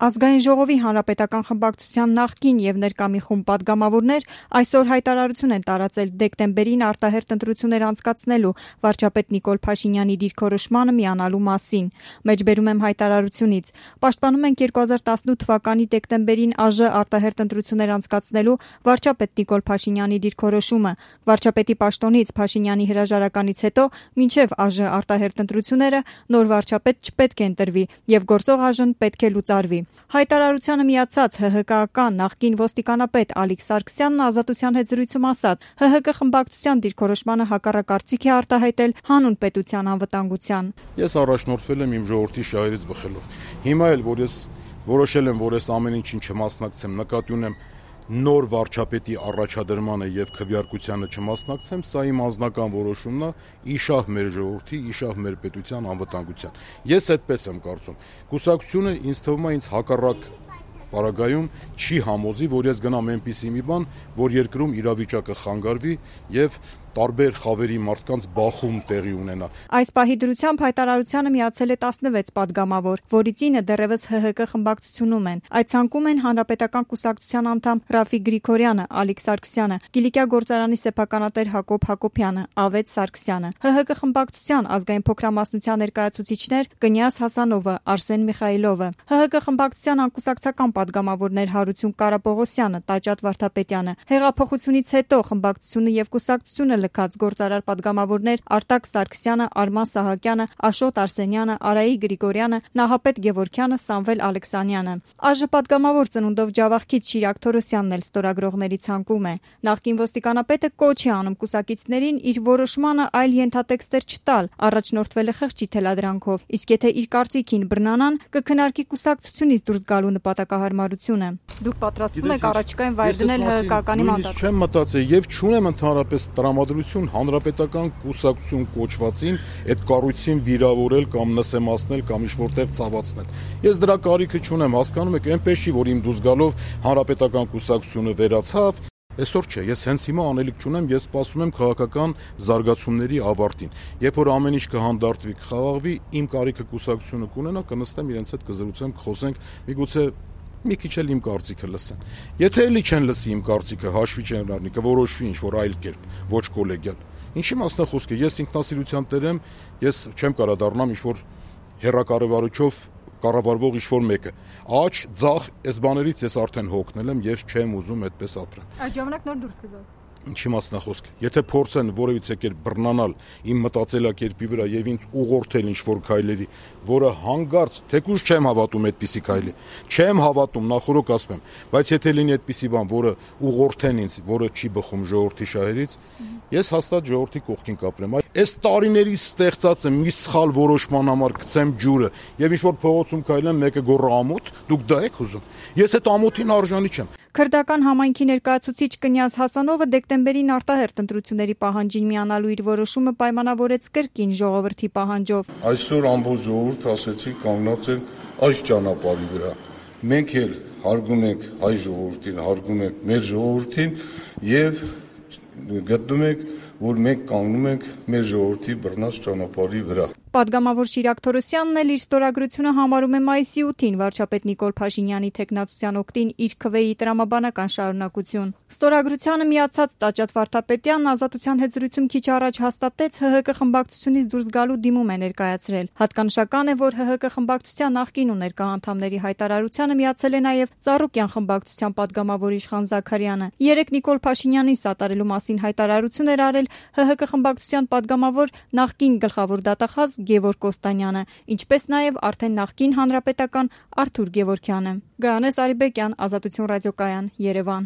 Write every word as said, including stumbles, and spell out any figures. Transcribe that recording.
Ազգային ժողովի հանրապետական խմբակցության նախկին եւ ներկա մի խումբ պատգամավորներ այսօր հայտարարություն են տարածել դեկտեմբերին արտահերթ ընտրություններ անցկացնելու վարչապետ Նիկոլ Փաշինյանի դիրքորոշմանը միանալու մասին։ Մեջբերում եմ հայտարարությունից. Պաշտպանում ենք երկու հազար տասնութ թվականի դեկտեմբերին ԱԺ արտահերթ ընտրություններ անցկացնելու վարչապետ Նիկոլ Փաշինյանի դիրքորոշումը։ Վարչապետի պաշտոնից Փաշինյանի հրաժարականից հետո մինչև ԱԺ արտահերթ ընտրությունները նոր վարչապետ չպետք է ընտրվի եւ գործող ԱԺ-ն պետք է լուծարվի։ Հայտարարությանը միացած ՀՀԿ-ական նախկին ոստիկանապետ Ալիկ Սարգսյանն Ազատության հետ զրույցում ասաց. ՀՀԿ խմբակցության դիրքորոշմանը հակառակ կարծիք է արտահայտել հանուն պետության անվտանգության։ Ես առաջնորդվել եմ իմ ժողովրդի շահերից բխելով։ Հիմա էլ որ ես որոշել եմ, որ ես ամեն ինչին չմասնակցեմ, նկատի ունեմ նոր վարչապետի առաջադրմանը եւ քվեարկությանը չմասնակցեմ, սա իմ անձնական որոշումն է, իշահ մեր ժողովրդի, իշահ մեր պետության անվտանգության։ Ես այդպես եմ կարծում։ Կուսակցությունը ինձ թվում է ինձ հակառակ պարագայում չի համոզի, որ ես գնամ այնպիսի մի բան, որ երկրում իրավիճակը խանգարվի եւ տարբեր խավերի մարդկանց բախում տեղի ունենա։ Այս պահի դրությամբ հայտարարությանը միացել է տասնվեց պատգամավոր, որից ինը դեռևս ՀՀԿ խմբակցությունում են։ Այդ ցանկում են հանրապետական կուսակցության անդամ Ռաֆիկ Գրիգորյանը, Ալիկ Սարգսյանը, Կիլիկիա գործարանի սեփականատեր Հակոբ Հակոբյանը, Ավետ Սարգսյանը, ՀՀԿ խմբակցության ազգային փոքրամասնության ներկայացուցիչներ Կնյաս Հասանովը, Արսեն Միխայլովը, ՀՀԿ խմբակցության անկուսակցական պատգամավորներ Հարություն Կարապողոսյանը, Տաճատ Վարդապետյանը, հեղափոխությունից հետո խմբակցությունը եւ կուսակցությունը լքած գործարար պատգամավորներ Արտակ Սարգսյանը, Արման Սահակյանը, Աշոտ Արսենյանը, Արայի Գրիգորյանը, Նահապետ Գևորգյանը, Սամվել Ալեքսանյանը։ ԱԺ պատգամավոր ծնունդով Ջավախքից Շիրակ Թորոսյանն էլ ստորագրողների ցանկում է։ Նախկին ոստիկանապետը կոչ է անում կուսակիցներին իր որոշմանը այլ ենթատեքստեր չտալ, առաջնորդվել է խղճի թելադրանքով, իսկ եթե իր կարծիքին բռնանան, կքննարկի կուսակցությունից դուրս գալու նպատակահարմարությունը։ Դուք պատրաստվում եք առաջիկայում վայր դնել ՀՀԿ-ականի մանդատ։ Չեմ մտածել եւ չունեմ ընդհանրապես տրամադրություն հանրապետական կուսակցություն կոչվածին այդ կառույցին վիրավորել կամ նսեմացնել կամ ինչ-որտեղ ցավացնել։ Ես դրա կարիքը չունեմ, հասկանում եք, այնպես չի, որ իմ դուրս գալով հանրապետական կուսակցությունը վերացավ։ Այսօր չէ, ես հենց հիմա անելիք չունեմ, ես սպասում եմ քաղաքական զարգացումների ավարտին։ Երբ որ ամեն ինչ կհանդարտվի, կխաղաղվի, իմ կարիքը կուսակցությունը կունենա, կնստեմ իրենց հետ կզրուցեմ, կխոսենք, միգուցե մի քիչ էլ իմ կարծիքը լսեն։ Եթե էլի չեն լսի իմ կարծիքը, հաշվի չեն առնի, կորոշվի ինչ-որ այլ կերպ, ոչ կոլեգիալ։ Ինչի մասն է խոսքը, ես ինքնասիրության տեր եմ, ես չեմ կարա դառնամ ինչ-որ հերակառավարչով կառավարվող ինչ-որ մեկը։ Աչ, ձախ, այս բաներից ես արդեն հոգնել եմ եւ չեմ ուզում այդպես ապրեմ։ Այդ ժամանակ նոր դուրս կգա։ Ինչի մասն է խոսքը։ Եթե փորձեն որևիցե կերպ բռնանալ իմ մտածելակերպի վրա եւ ինձ ուղղորդել ինչ-որ քայլերի, որը հանգարց, թեկուզ չեմ հավատում այդպիսի քայլի, չեմ հավատում, նախորոք ասում եմ, բայց եթե լինի այդպիսի բան, որը ուղղորդեն ինձ, որը չի բխում ժողովրդի շահերից, ես հաստատ ժողովրդի կողքին կապրեմ։ Այս տարիների ստեղծած եմ մի սխալ որոշման համար գցեմ ջուրը եւ ինչ-որ փողոցում քայլեմ, մեկը գոռա ամոթ, դուք դա եք ուզում։ Ես այդ ամոթին արժանի չեմ։ Քրդական համայնքի ներկայացուցիչ Կնյաս Հասանովը դեկտեմբերին արտահերթ ընտրությունների պահանջին միանալու իր որոշումը պայմանավորեց կրկին ժողովրդի պահանջով։ Այսօր ամբողջ ժողովուրդ ասեցի կանգնած են այս ճանապարհի վրա։ Մենք էլ հարգում ենք հայ ժողովրդին, հարգում ենք մեր ժողովրդին եւ գտնում ենք, որ մենք կանգնում ենք մեր ժողովրդի բռնած ճանապարհի վրա։ Պատգամավոր Շիրակ Թորոսյանն էլ իր ստորագրությունը համարում է մայիսի ութին վարչապետ Նիկոլ Փաշինյանի թեկնածության օգտին իր քվեի տրամաբանական շարունակություն։ Ստորագրությանը միացած Տաճատ Վարդապետյանն Ազատության հետ զրույցում քիչ առաջ հաստատեց ՀՀԿ խմբակցությունից դուրս գալու դիմում է ներկայացրել։ Հատկանշական է, որ ՀՀԿ խմբակցության նախկին ու ներկա անդամների հայտարարությանը միացել է նաև Ծառուկյան խմբակցության պատգամավոր Իշխան Զաքարյանը։ Երեք Նիկոլ Փաշինյանին սատարելու մասին հայտարարություն էր արել ՀՀԿ խմբակցության պատգամավոր նախկին գլխավոր դատախազ Գևորգ Կոստանյանը, ինչպես նաև արդեն նախկին հանրապետական Արթուր Գևորգյանը։ Գայանես Արիբեկյան, Ազատություն ռադիոկայան, Երևան։